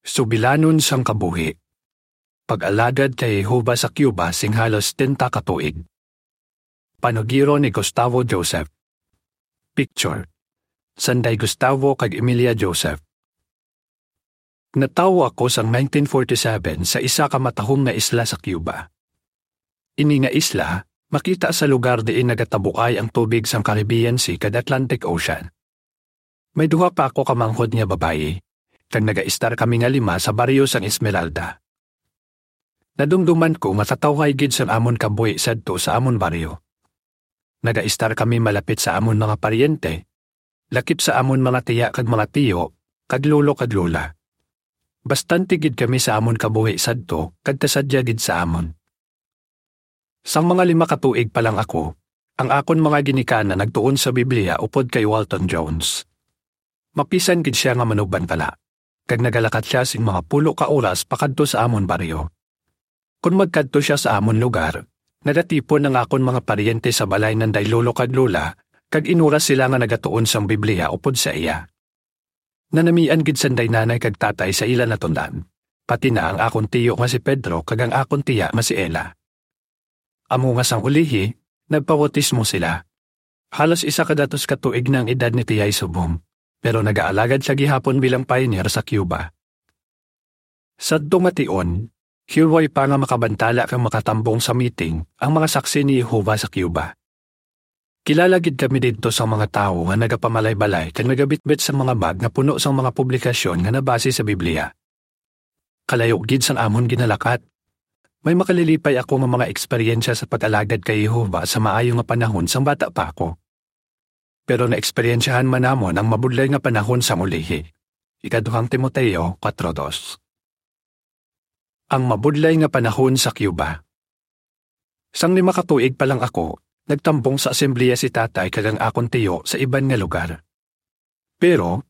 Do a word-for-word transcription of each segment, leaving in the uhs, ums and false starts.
Subilanon sang Kabuhi. Pag-alagad kay Jehovah sa Cuba sing halos setenta ka tuig. Panugiron ni Gustavo Joseph. Picture: Sanday Gustavo kag Emilia Joseph. Natawo ako sang nineteen forty-seven sa isa ka matahom nga isla sa Cuba. Ini nga isla makita sa lugar diin nagatabuay ang tubig sang Caribbean Sea kag Atlantic Ocean. May duha pa ako ka manghod nga babayi, kag nagaistar kami nga lima sa baryo sang Esmeralda. Nadumduman ko nga katawhay gid sang amon kabuhi sadto sa amon baryo. Nagaistar kami malapit sa amon mga paryente, lakip sa amon mga tiya kag mga tiyo, kag lolo kag lola. Bastante gid kami sa amon kabuhi sadto kag kasadya gid sa amon. Sang mga lima ka tuig pa lang ako, ang akon mga ginikanan nagtuon sa Biblia upod kay Walton Jones. Mapisan gid sia nga manugbantala, kag nagalakat sia sing mga pulo ka oras pakadto sa amon baryo. Kon magkadto sia sa amon lugar, nagatipon ang akon mga paryente sa balay nanday lolo kag lola, kag inuras sila nga nagatuon sang Biblia upod sa iya. Nanamian gid sanday nanay kag tatay sa ila natun-an, pati na ang akon tiyo nga si Pedro kag ang akon tiya nga si Ella. Amo nga sang ulihi, nagpabautismo sila. Halos isa ka datos ka tuig na ang edad ni Tiyay subong, pero nagaalagad siya gihapon bilang pioneer sa Cuba. Sadto nga tion, hiway pa nga makabantala kag makatambong sa meeting ang mga Saksi ni Jehovah sa Cuba. Kilala gid kami didto sa mga tawo nga nagapamalaybalay kag nagabitbit sa mga bag nga puno sang mga publikasyon nga nabase sa Biblia. Kalayo gid sang amon ginalakat, may makalilipay ako nga mga eksperyensya sa pag-alagad kay Jehovah sa maayo nga panahon sang bata pa ako. Pero naeksperyensyahan man namon ang mabudlay nga panahon sang ulihi. Ikaduhang Timoteo kuwatro dos. Ang mabudlay nga panahon sa Cuba. Sang lima ka tuig pa lang ako, nagtambong sa asembleya si tatay kag ang akon tiyo sa iban nga lugar. Pero,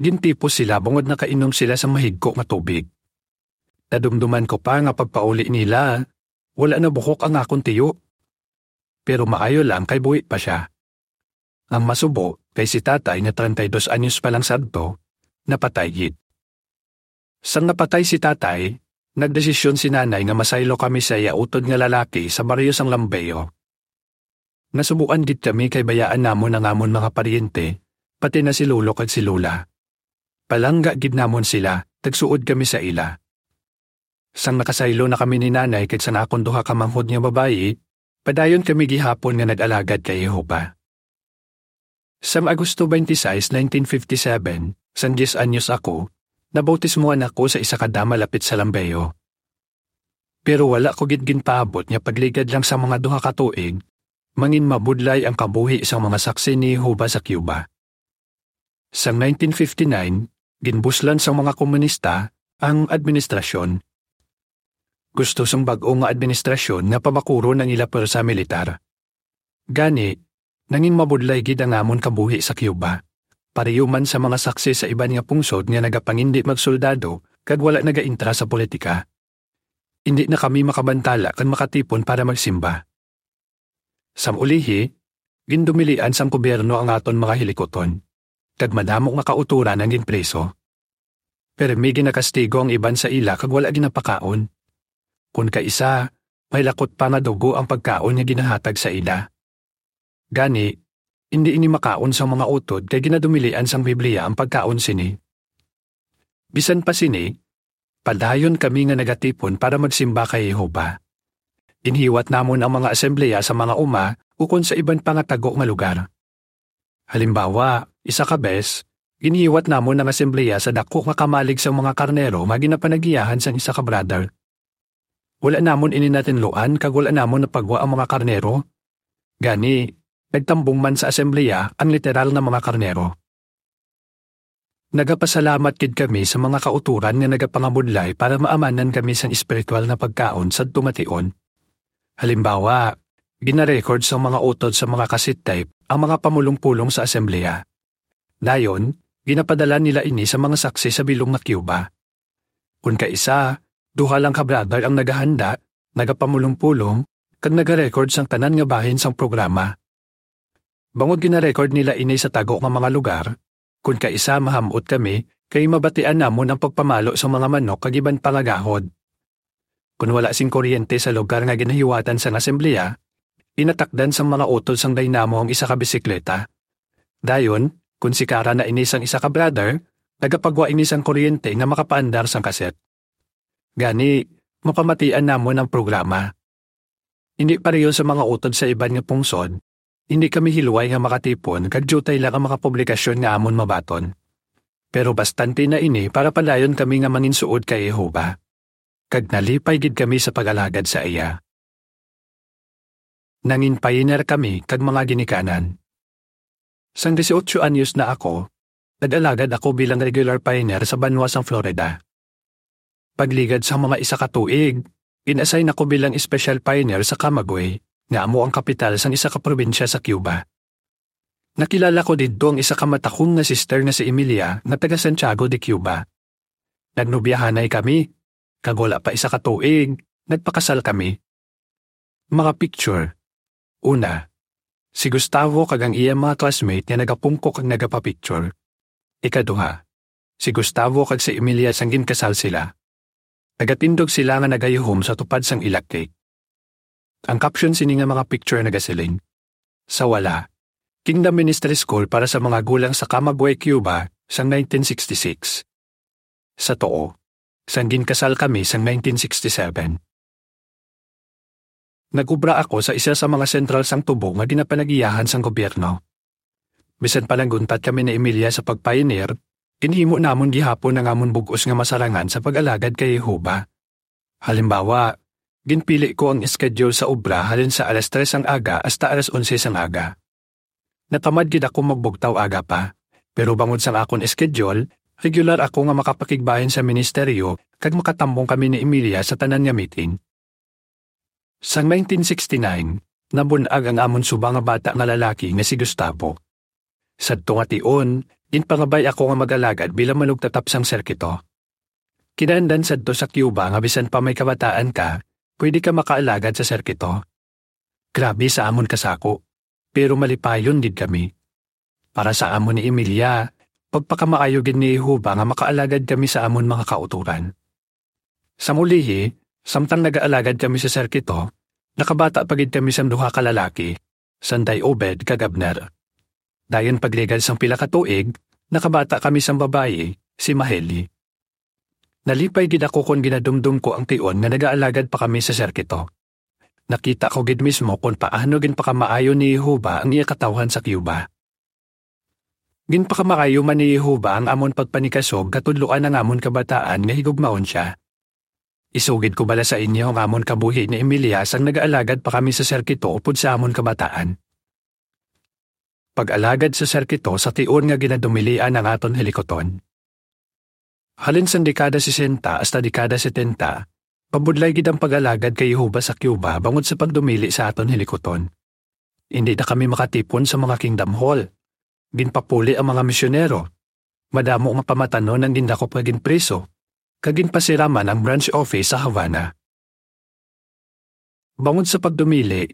gintipos sila bangod nakainom sila sa mahigko nga tubig. Nadumduman ko pa nga pagpauli nila, wala na buhok ang akon tiyo. Pero maayo lang kay buhi pa sia. Ang masubo kay si tatay nga treinta y dos anyos pa lang sadto, napatay gid. Sang napatay si tatay, nagdesisyon si nanay nga masaylo kami sa iya utod nga lalaki sa baryo sang Lambeo. Nasubuan gid kami kay bayaan namon ang amon mga paryente, pati na si lolo kag si lola. Palangga gid namon sila, tagsuod kami sa ila. Sang nakasaylo na kami ni nanay kag sang akon duha ka manghod nga babayi, padayon kami gihapon nga nag-alagad kay Jehovah. Sang Agosto twenty-six, nineteen fifty-seven, sang diyes anyos ako, nabautismuhan ako sa isa ka dam malapit sa Lambeo. Pero wala ko gid ginpaabot nga pagligad lang sa mga duha ka tuig, mangin mabudlay ang kabuhi sang mga Saksi ni Jehovah sa Cuba. Sang nineteen fifty-nine, ginbuslan sang mga komunista ang administrasyon. Gusto sang bag-o nga administrasyon nga pabakuron ang ila pwersa militar. Gani, nangin mabudlay gid ang amon kabuhi sa Cuba, pareho man sa mga Saksi sa iban nga pungsod nga nagapangindi magsoldado kag wala nagaintra sa politika. Indi na kami makabantala kag makatipon para magsimba. Sang ulihi, gindumilian sang gobyerno ang aton mga hilikuton, kag madamo nga kautoran ang ginpriso. Pirmi ginakastigo ang iban sa ila kag wala ginapakaon. Kon kaisa, may lakot pa nga dugo ang pagkaon nga ginahatag sa ila. Gani, indi ini makaon sang mga utod kay ginadumilian sang Biblia ang pagkaon sini. Bisan pa sini, padayon kami nga nagatipon para magsimba kay Jehovah. Ginhiwat namon ang mga asembleya sa mga uma ukon sa iban pa nga tago nga lugar. Halimbawa, isa ka bes, ginhiwat namon ang asembleya sa dako nga kamalig sang mga karnero nga ginapanagiyahan sang isa ka brother. Wala namon ini natinluan kag wala namon napagwa ang mga karnero. Gani, nagtambong man sa asembleya ang literal nga mga karnero. Nagapasalamat gid kami sa mga kautoran nga nagapangabudlay para maamanan kami sang espiritual nga pagkaon sadto nga tion. Halimbawa, ginarecord sa mga utod sa mga cassette tape ang mga pamulong-pulong sa asembleya. Dayon, ginapadala nila ini sa mga Saksi sa bilog nga Cuba. Kon kaisa, duha lang ka brother ang nagahanda, nagapamulong-pulong, kag nagarecord sang tanan nga bahin sang programa. Bangod ginarecord nila ini sa tago nga mga lugar, kon kaisa maham-ot kami kay mabatian namon ang pagpamalo sa mga manok kag iban pa nga gahod. Kon wala sing kuryente sa lugar nga ginahiwatan sang asembleya, inatakdan sang mga utod sang dynamo ang isa ka bisikleta. Dayon, kon sikara na ini sang isa ka brother, nagapagwa ini sang kuryente nga makapaandar sang kaset. Gani, mapamatian namon ang programa. Hindi pareho sa mga utod sa iban nga pungsod, hindi kami hilway nga makatipon kag diutay lang ang mga publikasyon nga amon mabaton. Pero bastante na ini para padayon kami nga manginsuod kay Jehovah, kag nalipay gid kami sa pag-alagad sa iya. Nangin pioneer kami kag mga ginikanan. Sang dieciocho anyos na ako, nag-alagad ako bilang regular pioneer sa banwa sang Florida. Pagligad sa mga isa ka tuig, in-assign ako bilang special pioneer sa Camagüey, nga amo ang kapital sang isa ka probinsya sa Cuba. Nakilala ko didto ang isa ka matahom nga sister nga si Emilia nga taga Santiago de Cuba. Nagnobyahanay kami, kag wala pa isa ka tuig, nagpakasal kami. Mga picture. Una, si Gustavo kag ang iya mga classmate nga nagapungko kag nagapapicture. Ikaduha, si Gustavo kag si Emilia sang ginkasal sila. Nagatindog sila nga nagayuhom sa tupad sang ila cake. Ang caption sini nga mga picture nagasiling, "Sa wala, Kingdom Ministry School para sa mga gulang sa Camagüey, Cuba, sang nineteen sixty-six. Sa tuo, sang ginkasal kami sang nineteen sixty-seven." Nag-obra ako sa isa sa mga sentral sang tubo nga ginapanag-iyahan sang gobyerno. Bisan pa nag-untat kami ni Emilia sa pagpayinir, ginhimo namon gihapon ang amon bug-os nga masarangan sa pag-alagad kay Jehovah. Halimbawa, ginpili ko ang schedule sa obra halin sa alas tres sang aga hasta alas onse sang aga. Natamad gid ako magbugtaw aga pa, pero bangod sang akon schedule, regular ako nga makapakigbahin sa ministeryo kag makatambong kami ni Emilia sa tanan nga meeting. Sang nineteen sixty-nine, nabun-ag ang amon suba nga bata nga lalaki nga si Gustavo. Sadto nga tion, ginpangabay ako nga mag-alagad bilang manugtatap sang sirkito. Kinahanglan sadto sa Cuba nga bisan pa may kabataan ka, pwede ka makaalagad sa sirkito. Grabe sa amon kasako, pero malipayon gid kami. Para sa amon ni Emilia, pagpakamaayo gid ni Jehovah nga makaalagad kami sa amon mga kautoran. Sa mulihi, samtang nagaalagad kami sa sirkito, nakabata pa gid kami sang duha ka lalaki, Sanday Obed kag Abner. Dayon pagligad sang pila ka tuig, nakabata kami sang babayi, si Maheli. Nalipay gid ako kon ginadumdom ko ang tion nga nagaalagad pa kami sa sirkito. Nakita ko gid mismo kon paano ginpakamaayo ni Jehovah ang iya katawhan sa Cuba. Ginpakamaayo man ni Jehovah ang amon pagpanikasog katudloan ang amon kabataan nga higugmaon sia. Isugid ko bala sa inyo ang amon kabuhi ni Emilia sang nagaalagad pa kami sa sirkito upod sa amon kabataan. Pag-alagad sa sirkito sa tion nga ginadumilian ang aton hilikuton. Halin sang dekada sesenta hasta dekada setenta, pabudlay gid ang pag-alagad kay Jehovah sa Cuba bangod sa pagdumili sa aton hilikuton. Indi na kami makatipon sa mga Kingdom Hall. Ginpapuli ang mga misyonero. Madamo nga pamatanon ang gindakop nga ginpriso, kag ginpasiraman ang branch office sa Havana. Bangod sa pagdumili,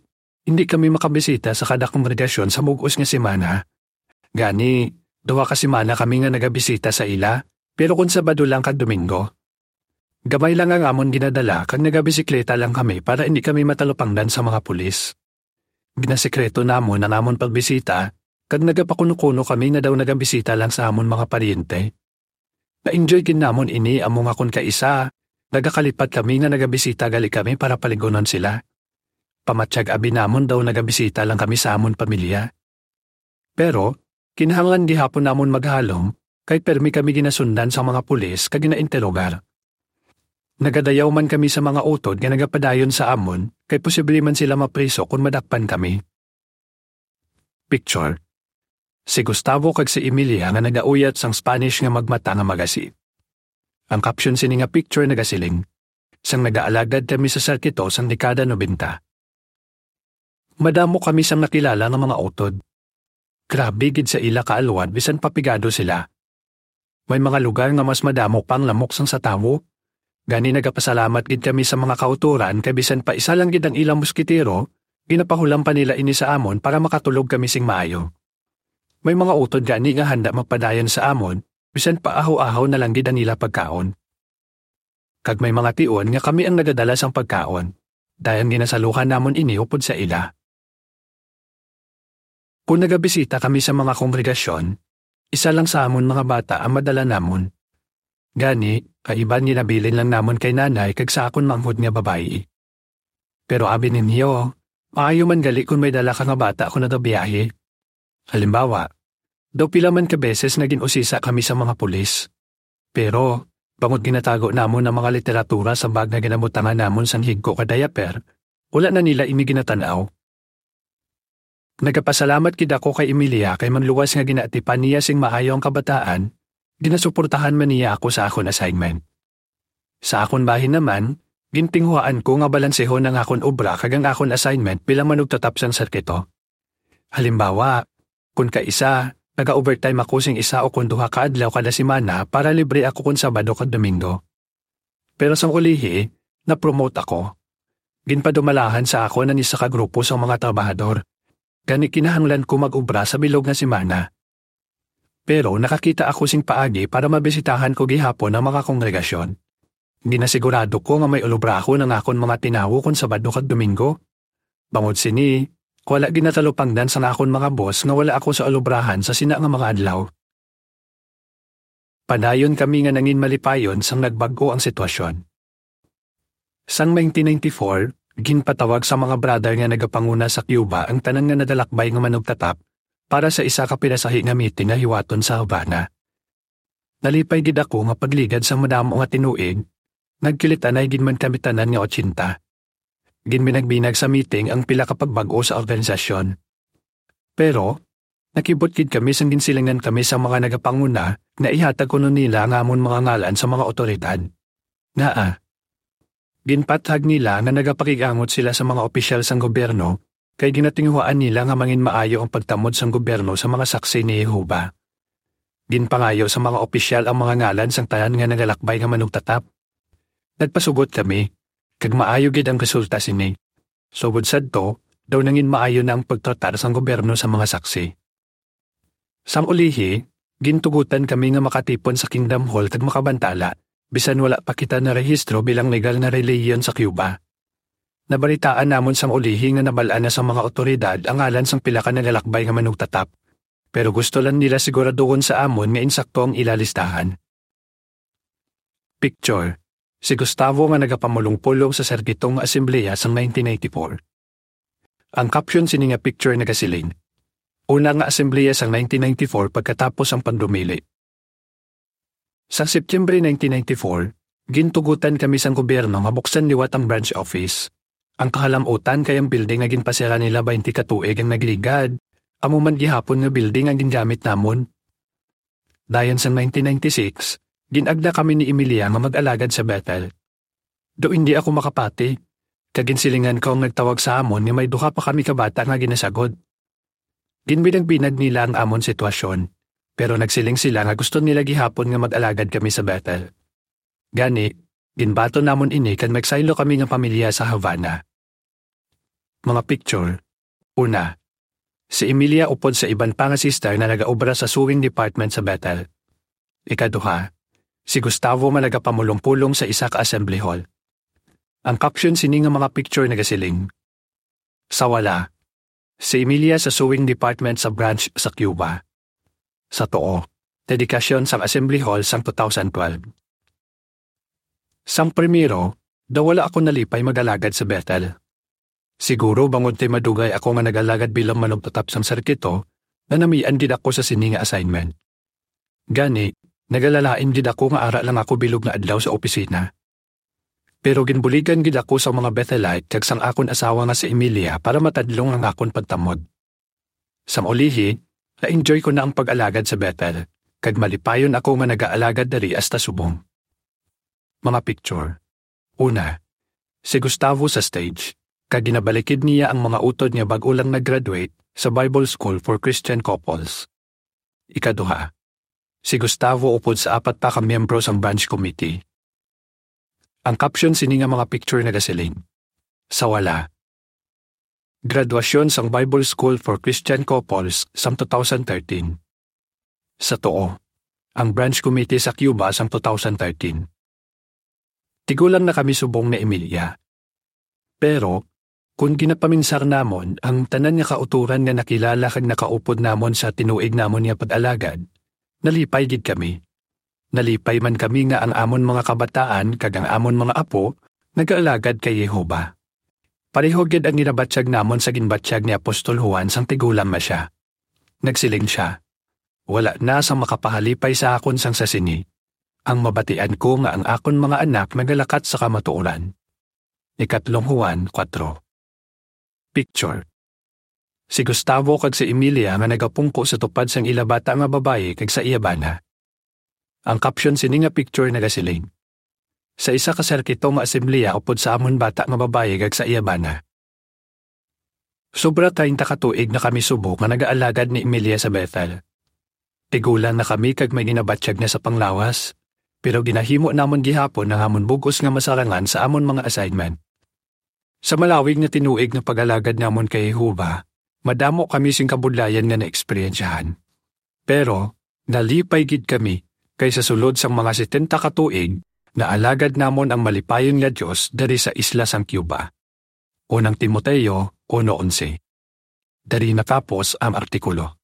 hindi kami makabisita sa kada kongregasyon sa bug-os nga semana. Gani, duha ka semana kami nga nagabisita sa ila, pero kon Sabado lang kag Domingo. Gamay lang ang amon ginadala kag nagabisikleta lang kami para indi kami matalupangdan sa mga pulis. Ginasekreto namon ang amon pagbisita, kag nagapakuno-kuno kami nga daw nagabisita lang sa amon mga paryente. Na-enjoy gid namon ini, amo nga kon kaisa, nagakalipat kami nga nagabisita gali kami para paligunon sila. Pamatyag abi namon daw nagabisita lang kami sa amon pamilya. Pero, kinahanglan gihapon namon maghalong, kay permi kami ginasundan sa mga pulis kag ginainterogar. Nagadayaw man kami sa mga utod nga nagapadayon sa amon, kay posible man sila mapriso kon madakpan kami. Picture. Si Gustavo kag si Emilia nga nagauyat sang Spanish nga magmata nga magasi. Ang caption sini nga picture nagasiling, "Sang nagaalagad kami sa sirkito sang dekada nobenta." Madamo kami sang nakilala nga mga utod. Grabe gid sa ila kaalwad bisan pa pigado sila. May mga lugar nga mas madamo pa ang lamok sang sa tawo. Gani nagapasalamat gid kami sa mga kautoran kay bisan pa isa lang gid ang ilang musketero, ginapahulam pa nila ini sa amon para makatulog kami sing maayo. May mga utod gani nga handa magpadayon sa amon, bisan pa ahaw-ahaw na lang gid ang ila pagkaon. Kag may mga tion nga kami ang nagadala sang pagkaon, dayon ginasaluhan namon ini upod sa ila. Kon nagabisita kami sa mga kongregasyon, isa lang sa amon mga bata ang madala namon. Gani, kaiban ginabilin lang namon kay nanay kag sa akon manghod nga babayi. Pero abi ninyo, maayo man gali kon may dala ka nga bata kon nagabiyahe. Halimbawa, daw pila man ka beses nga gin-usisa kami sa mga pulis. Pero, bangod ginatago namon ang mga literatura sa bag nga ginabutangan namon sang higko ka diaper, wala na nila ini ginatan-aw. Nagapasalamat gid ako kay Emilia kay manluwas nga ginaatipan niya sing maayo ang kabataan, ginasuportahan man niya ako sa akon assignment. Sa akon bahin naman, gintinguhaan ko nga balansehon ang akon obra kag ang akon assignment bilang manugtatap sang serkito. Halimbawa, kon kaisa, naga-overtime ako sing isa o kon duha ka adlaw kada semana para libre ako kon Sabado kag Domingo. Pero sang ulihi, na-promote ako. Ginpadumalahan sa akon ang isa ka grupo sang mga trabahador. Gani kinahanglan ko mag-obra sa bilog nga semana. Pero nakakita ako sing paagi para mabisitahan ko gihapon ang mga kongregasyon. Ginasigurado ko nga may ulubrahon ang akon mga tinawo kon Sabado kag Domingo. Bangod sini, wala ginatalupangdan sang akon mga boss nga wala ako sa ulubrahan sa sina nga mga adlaw. Padayon kami nga nangin malipayon sang nagbag-o ang sitwasyon. Sang nineteen ninety-four, ginpatawag sa mga brother nga nagapanguna sa Cuba ang tanan nga nagalakbay nga manugtatap para sa isa ka pinasahi nga meeting nga hiwaton sa Havana. Nalipay gid ako nga pagligad sang madamo nga tinuig, nagkilitanay gid man kami tanan nga ochenta. Ginbinagbinag sa meeting ang pila ka pagbag-o sa organisasyon. Pero, nakibot gid kami sang ginsilingan kami sa mga nagapanguna nga ihatag kuno nila ang amon mga ngalan sa mga awtoridad. Ngaa, ginpathag nila nga nagapakig-angot sila sa mga opisyal sang gobyerno kay ginatinguhaan nila nga manginmaayo ang pagtamod sang gobyerno sa mga Saksi ni Jehovah. Ginpangayo sa mga opisyal ang mga ngalan sang tanan nga nagalakbay nga manugtatap. Nagpasugot kami, kag maayo gid ang resulta sini. Sugod sadto, daw nangin maayo na ang pagtratar sang gobyerno sa mga Saksi. Sang ulihi, gintugotan kami nga makatipon sa Kingdom Hall kag makabantala, bisan wala pa kita narehistro bilang legal nga relihiyon sa Cuba. Nabalitaan namon sang ulihi nga nabal-an na sang mga awtoridad ang ngalan sang pila ka nagalakbay nga manugtatap, pero gusto lang nila siguraduhon sa amon nga insakto ang ila listahan. Picture, si Gustavo nga nagapamulong-pulong sa serkito nga asembleya sang nineteen ninety-four. Ang caption sini nga picture nagasiling, "Una nga asembleya sang nineteen ninety-four pagkatapos ang pagdumili." Sa September nineteen ninety-four, gintugutan kami sang gobyerno nga buksan liwat ang branch office. Ang kahalam-utan kay ang building nga ginpasira nila twenty ka tuig ang nagligad, amo man gihapon nga building ang gingamit namon. Dayon sang nineteen ninety-six, gin-agda kami ni Emilia nga mag-alagad sa Bethel. Daw hindi ako makapati, kag ginsilingan ko ang nagtawag sa amon nga may duha pa kami ka bata nga ginasagod. Ginbinag-binag nila ang amon sitwasyon, pero nagsiling sila nga gusto nila gihapon nga mag-alagad kami sa Bethel. Gani, ginbaton namon ini kag nagsaylo kami nga pamilya sa Havana. Mga picture. Una, si Emilia upod sa iban pa nga sister nga nagaobra sa sewing department sa Bethel. Ikaduha, si Gustavo nga nagapamulong-pulong sa isa ka assembly hall. Ang caption sini nga mga picture nagasiling, "Sa wala, si Emilia sa sewing department sa branch sa Cuba." Sa tuo, dedikasyon sang assembly hall sang two thousand twelve. Sang primero, daw wala ako nalipay mag-alagad sa Bethel. Siguro bangod kay madugay ako nga nag-alagad bilang manugtatap sang serkito, nanamian gid ako sa sini nga assignment. Gani, nagalalain gid ako nga ara lang ako bilog nga adlaw sa opisina. Pero ginbuligan gid ako sa mga Bethelite kag sang akon asawa nga si Emilia para matadlong ang akon pagtamod. Sang ulihi, na-enjoy ko na ang pag-alagad sa Bethel, kag malipayon ako nga nagaalagad diri hasta subong. Mga picture. Una, si Gustavo sa stage, kag ginabalikid niya ang mga utod nga bag-o lang nag-graduate sa Bible School for Christian Couples. Ikaduha, si Gustavo upod sa apat pa ka miyembro sang branch committee. Ang caption sini nga mga picture nagasiling, "Sa wala." Graduasyon sang Bible School for Christian Couples sang two thousand thirteen. Sa tuo, ang branch committee sa Cuba sang two thousand thirteen. Tigulang na kami subong ni Emilia. Pero, kung ginapaminsar namon ang tanan nga kautoran nga nakilala kag nakaupod namon sa tinuig namon nga pag-alagad, nalipay gid kami. Nalipay man kami nga ang amon mga kabataan kag ang amon mga apo nagaalagad kay Jehovah. Pareho gid ang ginabatyag namon sa ginbatyag ni Apostol Juan sang tigulang na sia. Nagsiling sia, "Wala na sang makapahalipay sa akon sang sa sini. Ang mabatian ko nga ang akon mga anak nagalakat sa kamatuoran." Ikatlong Juan kuwatro. Picture. Si Gustavo kag si Emilia nga nagapungko sa tupad sang ila bata nga babayi kag sa iya bana. Ang caption sini nga picture nagasiling, "Sa isa ka sirkito nga asemblea upod sa amon bata nga babayi kag sa iya bana." Sobra treinta ka tuig na kami subong nga nagaalagad ni Emilia sa Bethel. Tigulang na kami kag may ginabatyag na sa panglawas, pero ginahimo namon gihapon ang amon bug-os nga masarangan sa amon mga assignment. Sa malawig nga tinuig nga pag-alagad namon kay Jehovah, madamo kami sing kabudlayan nga naeksperyensyahan. Pero nalipay gid kami kay sa sulod sang mga setenta ka tuig, naalagad namon ang malipayon nga Dios diri sa isla sang Cuba. Unang Timoteo uno onse. Diri natapos ang artikulo.